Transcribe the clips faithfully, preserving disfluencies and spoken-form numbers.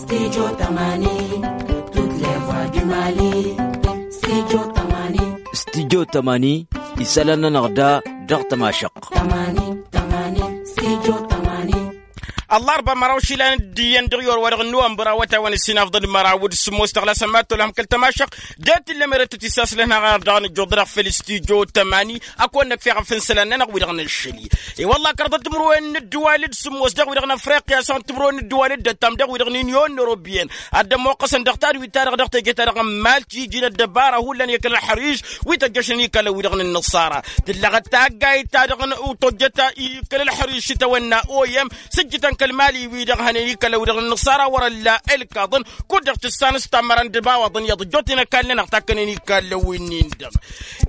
Studio tămani. Tut levwa du mali. Studio tămani. Studio tămani. Isălan-nănăɣ da dăɣ-tămašăɣt. Tămani tămani. Studio tămani. Ăllarba măraw išilan d-iyyăn dăɣ-iwăr wa dăɣ-năwănbăr awătay wa n-ǝssin afḍăn măraw d-sǝmmos dăɣ-lasăn ma t-olăhăm kăl-tămašăɣt. Deet illa merăt tăt-isaslăn haɣar dăɣ-nǝjjuḍ dăɣ-făll-studio tămani. Ad-kăwăn-năkf i-iɣăf n-isălan-nănăɣ wi-dăɣ nǝššăl-i. I-wălla kăraḍăt timǝrwen n-ǝddǝwal d-sǝmmos dăɣ-wi-dăɣ n-afriqya s-ad-timǝrwen n-ǝddǝwal d-ăttam dăɣ-wi-dăɣ n-inyon europiyăn ad-dd-ămmoqqăsăn dăɣ-tadwit-ta-dăɣ dăɣ-teje-ta-dăɣ n-malti iji n-ăddăbara hullan i-kăl-ălxăriž wi tăjjăšnen i-kallăn wi-dăɣ n-inǝṣṣara. Tǝllăɣăt taggayt-ta-dăɣ n-tojjăt i-kăl-ălxăriž s-itawănna oyăm s-ǝjjǝtăn kăl-mali-wi-dăɣ hănen i-kallăn wi-dăɣ n-inǝṣṣara wăr-ălla ǝlkaḍăn. Kud-dăɣ tǝssanăs tammăra n-dăbawaḍăn iyyăḍ ǝjjootnen ăkall-nănăɣ takkănen i-kallăn wi-nin-dăɣ.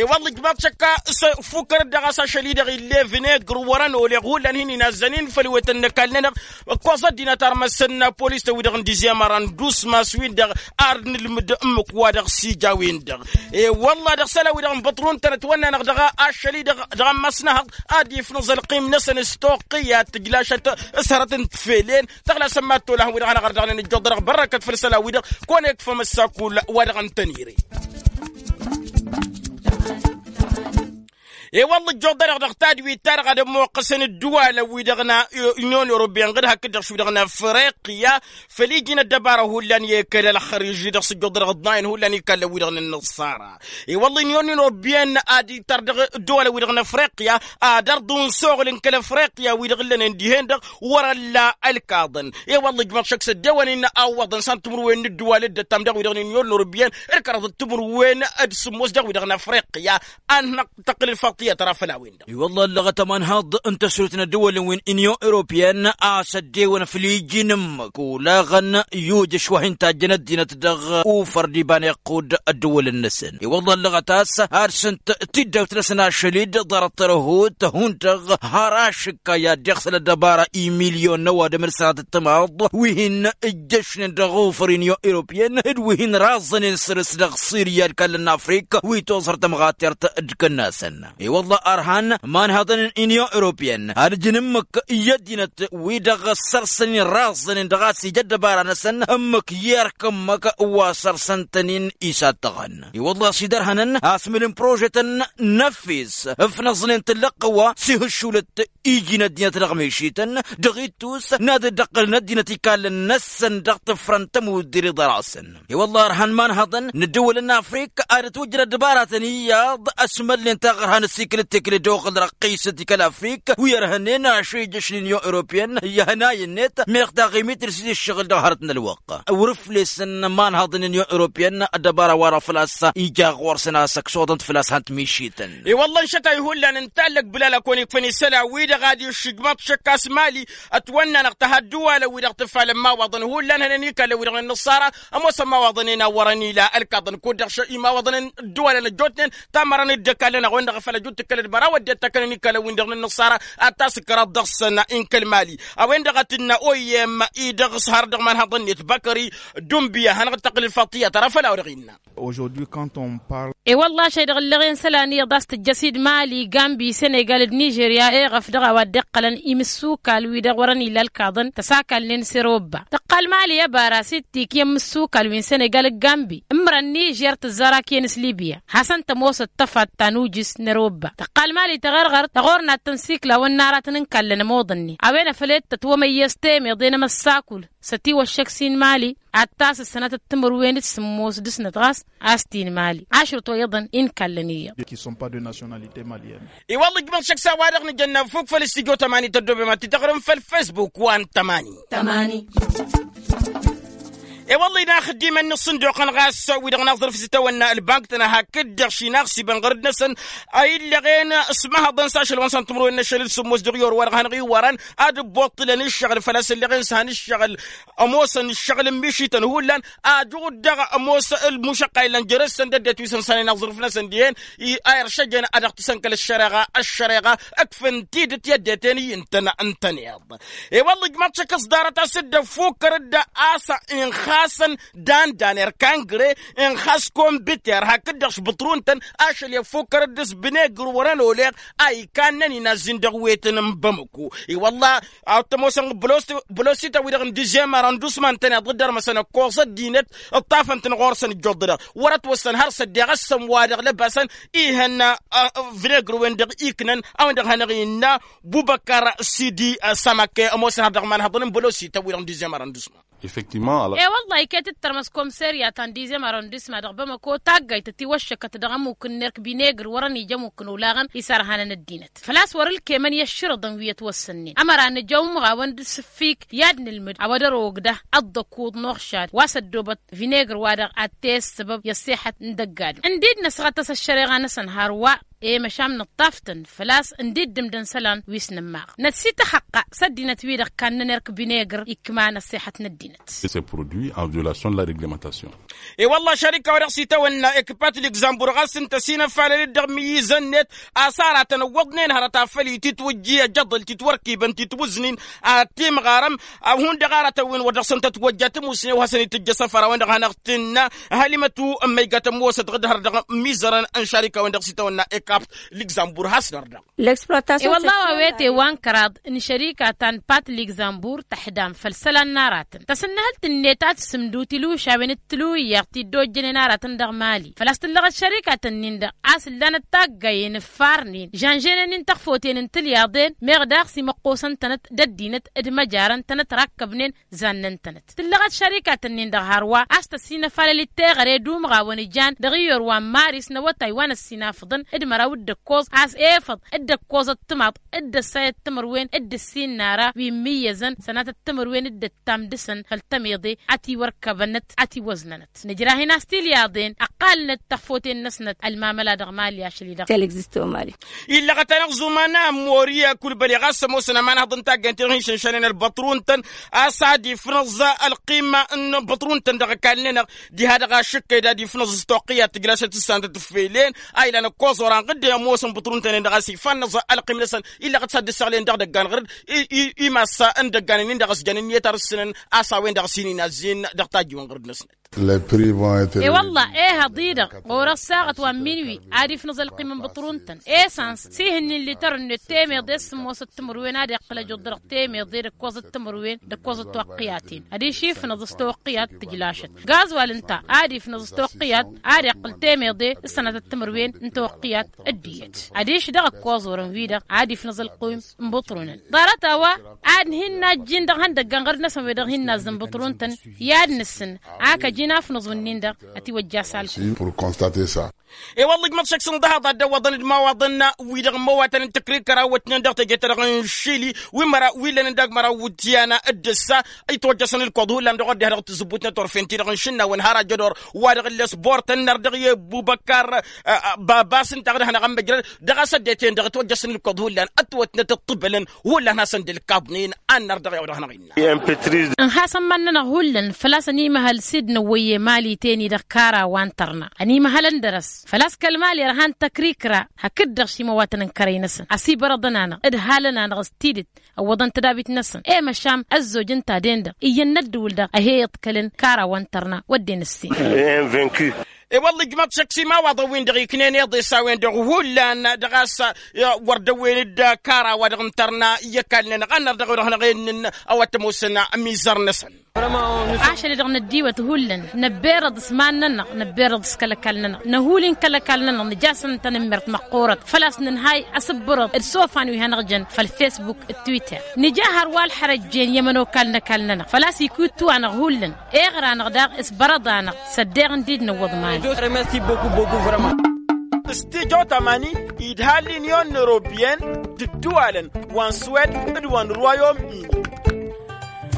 I-wălla ǝjmaḍ šăkka s-fukkărăt dăɣ-a-s ašăl-i-dăɣ ill'-e vǝnegr wăr-ănol i-hullan hin-inazzănen făll-wetăn n-ăkall-nănăɣ. Ǝkkoẓ ăddinăt armăsăn polis-tăn wi-dăɣ n-dizyemăra n-dusmas-win-dăɣ. Ar nǝlmǝd ǝmmǝk wa dăɣ-s ija a-wen-dăɣ. I-wălla dăɣ-isălan-wi-dăɣ n-băṭrun-tăn ătwănna-năɣ dăɣ-ašăl-i-dăɣ dăɣ-ămmas n-ehăḍ ad-ifnǝẓ ălqim-năsăn s-toqqǝyat tǝjlašăt s-hărăt n-tefelen. Tăɣlasăn mad-t-olăhăn wi-dăɣ hanăɣ-ărdăɣnen ǝjjuḍ-dăɣ bărrăkăt făll-isălan-wi-dăɣ. Kăwăn-ekfăm ăssakul wa dăɣ-ǝntănire. I-wălla ǝjjuḍ-dăɣ dăɣ-tadwit-ta-dăɣ ad-ămmoqqăsăn ǝddǝwalăn-wi-dăɣ n-inyon europiyăn ɣǝd hakd-dăɣ š-wi-dăɣ n-afriqya făll-iji n-ăddăbara hullan i-kăl-ălxăriž-i-dăɣ s-ǝjjuḍ-dăɣ ǝḍnayăn hullan ikallăn-wi-dăɣ n-inǝṣṣara. I-wălla inyon europiyăn ad-ittăr dăɣ-ǝddǝwalăn-wi-dăɣ n-afriqya ad-ărḍǝwăn s-oɣǝl n-kăl-afriqya-wi-dăɣ ǝllănen dihen-dăɣ wăr-ălla ălkaḍăn. I-wălla ǝjmăḍ šăkk s-ăddewăn-in awwăḍăn s-ad-timǝrwen n-ǝddǝwal d-ăttam dăɣ-wi-dăɣ n-inyon europiyăn d-kăraḍăt timǝrwen d-sǝmmos dăɣ-wi-dăɣ n-afriqya. Ad-năɣ tăqqǝl ǝlfaḍt tiyyăt ara făll-a-wen-dăɣ. I-wălla ăllăɣăt ămanhăḍ n-tăsrut n-ăddăwălăn wi n-inyon europiyăn a-s ăddewăn făll-iji n-ǝmmǝk olaɣăn i-ujăš wa hin-tajjăn ăddinăt dăɣ-ufăr d-iba n-iqqud ăddăwălăn-năsăn. I-wălla ăllăɣăt a-s ad-sǝnt tiddawt-năsăn ašăl-dd ḍarăt tărăhut hundăɣ har ašǝkka i-ad-dd-iɣsăl ăddăbara i-milyon n-ăwadǝm d-sănatăt timaḍ wi hin-ǝjjăšnen dăɣ-ufăr inyon europiyăn d-wi hin-raẓănen săr-s dăɣ-sirya d-kallăn n-afrik wi toẓhăr tămɣatert d-kănnasăn. I-wălla ărhan imanhăḍăn n-inyon europiyăn ad-ǝjǝn ǝmmǝk i-ăddinăt-wi-dăɣ ăssărsăn-in raẓănen dăɣ-a-s ija ăddăbara-năsăn ǝmmǝk i-erk ǝmmǝk wa sărsăn-tăn-in isattăɣăn. I-wălla a-s idărhănăn asmǝl n-prožetăn n-efes ǝfnăẓnen tǝllăɣ-tăn wa s-ihǝššulăt iji n-ăddinăt dăɣ-mišităn dăɣ-ittus n-ad-dd-ăqqǝlăn ăddinăt ikallăn-năsăn dăɣ-tǝfrăn tămuddir iḍăr-asăn. I-wălla ărhan imanhăḍăn n-ăddăwălăn n-afrik ad-ătwăjjăd ăddăbaratăn iyyăḍ ăsmălnen taɣărha n-ăsikǝl d-tekǝle d-oɣǝl răqqisăt i-kăl-afrik wi ărhănen ašăl ijjăšnen inyon europiyăn i-hănay-net meɣ taɣimit d-s-dd-ǝššăɣǝl dăɣ-hărăt n-ălwăqq. Wăr-ǝflesăn imanhăḍăn n-inyon europiyăn ăddăbara-wa-dăɣ făl-a-s ija ɣur-săn a-s ăksodăn-t făl-a-s han-t-mišităn. I-wălla n-išătay hullan ǝnta ăllăg bǝlal a kăwăn-ikfăn isălan-wi-dăɣ ad-iššǝjmăḍ šăkk a-s mali ătwănna-năɣ tăha ăddăwalăn-wi-dăɣ tǝfalăn imawaḍăn hullan hănen ikallăn-wi-dăɣ n-inǝṣṣara. Ămoosăn imawaḍăn-en a wărăn ila ălkaḍăn kud-dăɣ imawaḍăn n-ăddăwalăn ăjjootnen tamărăn dd-ăkallăn a-wen-dăɣ a făl ăjut tǝkkălăd măraw ăddinăt ta kănen ikallăn-win-dăɣ n-inǝṣṣara ad-tasǝkraḍ dăɣ-săn. Inkăl mali a-wen-dăɣ a tǝnna oyem-i dăɣ-s har dăɣ-imanhăḍăn-net băkări dumbiya hanăɣ-dd-tăqqǝl ǝlfaḍ tiyyăt ara făll-a-wa dăɣ-innă. Aujourd'hui quand on parle. E-wălla ašăl-i-dăɣ ǝlleɣen isălan iyyăḍ a-s tǝjjăs-dd mali gambi senegal d-nižerya eɣăf dăɣ-a-wa dd-iqqălăn imǝssukal-wi-dăɣ wărăn illa ălkaḍăn tăsakalnen s-erobba tăqqal mali ăbara s-ittik i-imǝssukal wi n-senegal d-gambi ǝmrăn nižer tǝzzar akǝyăn s-libya hasăn-tămoosăt tăfatta n-ujǝs n-erobba tăqqal mali tăɣărɣărt tăɣornat tăn-siklawăn n-aratăn n-kallăn ămoḍănnen a-wen a făl e-d tătwămăyyăs temeḍe n-emăssakul s-ătiwăššăk s-in mali ad-tasǝssanăt d-timǝrwen d-sǝmmos dăɣ-snăt ɣas a-s t-in mali ašrǝt wa iyyăḍăn inkallăn iyyăḍ. Qui sont pas de nationalité malienne. I-wălla ǝjmăḍ šăkk s-a-wa-dăɣ nǝjănna fuk făll-s tijot ămani tăddobem ad-t-tăɣrǝm făll-facebook wa n-tămani. Tămani. I-wălla inaxǝddimăn n-ǝṣṣǝnduqăn ɣas wi-dăɣ n-aẓrǝf s-itawănna ălbank-tăn hakd-dăɣ šinaɣsibăn ɣărăd-năsăn a illăɣen s-mahăḍăn s-ašăl wa n-săn timǝrwen n-ašăl d-sǝmmos dăɣ-i or wa-dăɣ hanăɣ-iwărăn ad-ǝbboṭṭǝlăn ǝššăɣǝl făl-a-s ǝllăɣen s-han ǝššăɣǝl ămoosăn ǝššăɣǝl n-mišităn hullan. Ajăɣ-dd dăɣ-ămoos ălmušăqqa illan jere-săn d-ăddinăt wi s-ǝnsanen aẓrǝf-năsăn dihen i-a iršăjăn ad-dăɣ-t isănkăl ăššăreɣa ăššăreɣa ǝkfăn tidǝt i-ăddinăt-en i-ǝntăn ǝntăneḍ. I-wălla ǝjmăḍ šăkk s-ḍarăt a-s dd-ăffukkăr dd-a-s inxa Asăn dan-dan erk angre n-xas kombiter hakd-dăɣ s-bǝṭru n-tăn ašăl i-ăffukkăr-dd s-bǝnegr wăr-ănoleɣ a ikannen inazzin dăɣ-wetăn n-bămăko. I-wălla a t-ămoosăn bălosităn-wi-dăɣ n-dizyem arăndusman-tăn iḍăddărmăsăn ăkkoẓ ăddinăt ǝṭṭafăn-tăn ɣur-săn ǝjjuḍ-dăɣ wăr-ătwăssăn har s-ăddeɣ ăssăm-wa-dăɣ lăbasăn ihăn vǝnegr-wen-dăɣ iknăn a-wen-dăɣ hanăɣ-innă bubăkar sidi. Sămăkke ămoosăn har dăɣ-imanhăḍăn n-bălosităn-wi-dăɣ n-dizyem arăndusman. Effectivement. E-wălla iket-dd tărmăs komserya ta n-dizem arăndisma dăɣ-bamăko taggayt ătiwăššăkăt dăɣ-ămmuk n-erk binegr wăr-ănija ămmuk n-olaɣăn isărhanăn ăddinăt făl-a-s wăr-ǝlkemăn i-ăšširǝḍăn wi ătwăssănnen ămăra nǝja umɣawăn d-sǝffik i-ad-nǝlmǝd a-wa dăr-ogdăh ăḍḍăkuḍ n-oɣšad wa s-ăddoobăt vinegr-wa-dăɣ ad-t-e-ăssăbăb i-ăṣṣeḥăt n-dăgg-adǝm. Ǝndid-năsɣăt a-s ăššăreɣa-năsăn hărwa i-măšan nǝṭṭaf-tăn făl-a-s ǝndid-dǝmdăn isălan wi s-nǝmmaɣ năt s-ităxăqqa s-ăddinăt-wi-dăɣ kannăn erk binegr ikman ăṣṣeḥăt n-ăddinăt. I-wălla šarika-wa-dăɣ s-itawănna ekpat ligzambur ɣas ǝnta s-inăfalăl-dd dăɣ-imǝyyǝzăn-net a-s aratăn ǝwwăḍnen hărăt afăl ititwǝjji ăjăḍăl titwărkibăn titwǝznin ad-timɣarăm. Hundăɣ aratăn wi n-wăr dăɣ-săn tătwăjja tămusne wa hasăn-itǝjj asăfăr a-wen-dăɣ hanăɣ-tǝnna hălimătu n-măygatăn mosăt ɣǝd hăr dăɣ-imǝyyǝzărăn n-šarika-wen-dăɣ s-itawănna ekpat ligzambur hasnăr-dăɣ. I-wălla a-wa wete wa n-kăraḍ n-šărika ta n-pat ligzambur tăḥdam făll-isălan n-aratăn tasǝnnăhălt-net a tǝsǝmdut ilušawen d-tilǝwǝyyaɣ ti dd-ojjănen aratăn dăɣ-mali făl-a-s tǝllăɣăt šărikatăn-nin-dăɣ a-s ǝllanăt taggayen ǝffarnen žănženen-in tăɣfoten n-tilyaḍen meɣ daɣ s-imăqqosăn-tănăt d-ăddinăt d-măjarăn-tănăt rakkăbnen zannăn-tănăt tǝllăɣăt šărikatăn-nin-dăɣ hărwa a-s tăsinăfalăl-dd teɣăre d-umɣawăn ijan dăɣ-iyor wa n-maris n-awătay wa n-ăssinafăḍăn d-măraw d-ǝkkoẓ a-s efăḍ d-ǝkkoẓăt timaḍ d-ăssayăt timǝrwen d-ǝssin n-ara wi n-imǝyyăzăn sănatăt timǝrwen d-ǝttam dăɣ-săn făll-tămiḍe a tiwărkăbănăt a tiwăznănăt nǝjrahin a-s tilyaḍen ăqqalnăt tăɣfoten-năsnăt ălmamăla dăɣ-mali ašăl-i-dăɣ. Illăɣăt-anăɣ zuman a ămmori kulbăli ɣas ămoosăn ămanhăḍ n-taggaynt-i-dăɣ hin-išǝnšanen ălbăṭru n-tăn a-s ad-ifnăẓ ălqima n-băṭru n-tăn dăɣ-ăkall-nănăɣ diha-dăɣ ašǝkkăy d-ad-ifnăẓ s-toqqiyat tǝjlasăt s-santăt ǝffelen a ilan ăkkoẓ oranɣ dd-ămoosăn băṭru n-tăn-en-dăɣ a-s ifannăẓ ălqim-năsăn illăɣăt s-ad-dd-ǝssăɣlen dăɣ-idăggan ɣǝr-dd i-i-i massa n-idăggan-in-dăɣ ăsjăn ǝnniyăt ar ǝssǝnăn a-s a-wen-dăɣ s-in-inazzin dăɣ-tajjiwen ɣǝr-dd-năsnăt. I-wălla ehăḍ-i-dăɣ ɣur-ăssaɣăt wa n-minwi ad-ifnăẓ ălqim n-băṭru n-tăn esăns s-ihǝnnin lităr-net temeḍe s-sǝmmosăt timǝrwen ad-iqqǝl ăjuḍ dăɣ-temeḍe d-ǝkkoẓăt timǝrwen d-ǝkkoẓăt toqqǝyaten adiš ifnăẓ s-toqqǝyat tǝjlašăt gazwal ǝnta ad-ifnăẓ s-toqqǝyat ad-iqqǝl temeḍe s-sănatăt timǝrwen n-toqqǝyat d-iyyăt adiš dăɣ-ǝkkoẓ orăn-wi-dăɣ ad-ifnăẓ ălqim n-băṭru-năn ḍarăt a-wa ad-hin-najjin dăɣ-ihăndăggan ɣăr-năsăn wi-dăɣ hin-nazzǝn băṭru n-tăn i-ad-nǝssǝn ak ăjin afnăẓ-wǝnnin-dăɣ ătiwăjja s-alkul. I-wălla ijmăḍ šăkk s-ǝnḍăhaḍ ad-dd-ăwwăḍăn d-imawaḍăn-wi-dăɣ n-imăwatăn n-tăkrikăra wătnen dăɣ-teje-ta-dăɣ n-šili wi măraw wi lănăn dăɣ-măraw wǝtyan d-ǝssa itwăjjăsăn ǝlkoḍ hullan dăɣ-wăr dd-iha dăɣ-tǝzzǝbbut n-turfen-ti-dăɣ n-išǝnnawen har ajădor wa dăɣ-ǝlles bortăn năr dăɣ-i ăbubăkar babas ǝnta a dd-hanăɣ-ămmăjrăd dăɣ-a-s ăddinăt-en-dăɣ itwăjjăsăn ǝlkoḍ hullan ătwătnăt ǝṭṭǝbălăn hullan hasăn-dd-ǝlkaḍnen. Ănnăr dăɣ-i-wa dăɣ-hanăɣ-innă. Ǝnha asămman-nănăɣ hullan făl-a-s ănimăhăl s-dd-năwwăyye mali teni dăɣ-kara wa n-tărna ănimăhălăn dăr-s făl-a-s kăl-mali ărhan tăkrikra hakd-dăɣ šimăwatăn n-kărăy-năsăn ăsibărăḍăn-anăɣ d-halăn-anăɣ s-tidǝt ăwwăḍăn tadabit-năsăn i-măšan ăzzoj ǝnta-den-dăɣ iyyăn n-ăddǝwǝl-dăɣ a he-iḍkălăn kara wa n-tărna wădden ǝssin. I-wălla ijmăḍ šăkk s-imawaḍăn-win-dăɣ iknen iḍes a-wen-dăɣ hullan dăɣ-a-s wăr dăwwen-dd kara-wa-dăɣ n-tărna i-ăkall-nănăɣ ănnăr dăɣ-ewăr dăɣ-hanăɣ-innăn a-wa t-ămoosăn imizăr-năsăn. Ašăl-i-dăɣ năddiwăt hullan năbberăḍ s-iman-nănăɣ năbberăḍ s-kăl-ăkall-nănăɣ năhul-in kăl-ăkall-nănăɣ nǝj'-asăn tanǝmmert măqqoorăt făl-a-s nǝnhay asǝbbărăḍ d-isofan wi hanăɣ-jăn făll-fesbuk d-twitter nǝja hărwa ălxărăjjen i-ămănokal n-ăkall-nănăɣ făl-a-s ikuttu-anăɣ hullan. Eɣra-năɣ daɣ s-bărăḍ-anăɣ s-ăddeɣ n-dd-năwwăḍ mali. S-tijo tamani idhal l'union europeyenne d-ǝddǝwalăn wa n-suwed d-wa n-ruwayom-ini.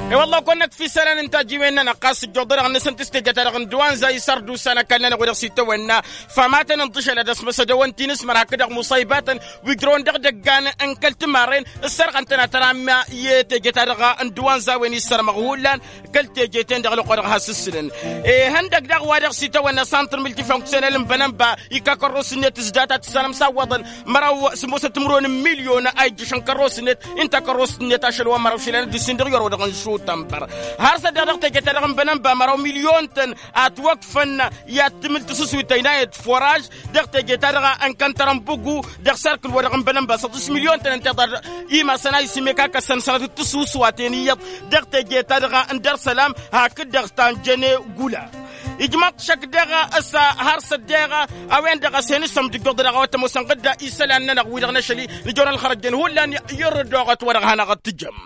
I-wălla-ɣ kăwăn-năkf isălan n-tajiwen-nănăɣ ɣas ǝjjuḍ-dăɣ-năsăn tǝstejăt-ta-dăɣ n-dăwanza isărdusa n-ăkall-nănăɣ wa dăɣ-s itawănna. Fămatăn n-tišăl ad-ăsmăsăd ăwăn ti n-ǝsmăr hakd-dăɣ muṣăybatăn wi ǝjrăwăn dăɣ-idăggan n-kăl-timarren ǝssărɣăn-tăn ad-tăramm i-teje-ta-dăɣ n-dăwanza-wen issărmăɣ hullan. Kăl-teje-ten-dăɣ lăqqo-dăɣ has-ǝssǝlăn ihăndăg daɣ wa dăɣ-s itawănna santr multifonksionel n-bănănba ikakărros-net s-data tǝssanăm s-awwăḍăn măraw s-ămoosăn timǝrwen n-milyon a ijjǝšăn kărros-net. Inta kărros-net ašăl wa n-măraw išilan d-ǝssin dăɣ-iwăr wa dăɣ-nǝššun. Tămbăr har s-ăddeɣ dăɣ-teje-ta-dăɣ n-bănănba măraw milyon-tăn a ătwăkfăn i-ad-tǝmǝl tǝsǝswit ăynayăt foraž. Dăɣ-teje-ta-dăɣ n-kăntăr n-bǝgu dăɣ-serkǝl-wa-dăɣ n-bănănba săḍǝs milyon-tăn ǝnta iḍarrăɣ imasăn a isimek a kăssăn sănatăt tǝsǝwǝswaten iyyăḍ dăɣ-teje-ta-dăɣ n-dăr-sălam hakd-dăɣ ta n-jăne gula. Ijmăḍ šăkk dăɣ-s har s-ăddeɣ a-wen-dăɣ a-s hen-isămdǝjjoḍ dăɣ-a-wa t-ămoosăn ɣǝdda isălan-nănăɣ wi-dăɣ n-ašăl-i nǝjorăn ălxărăjjen hullan i-irǝddoɣăt wa dăɣ-hanăɣ-ăttǝjăm.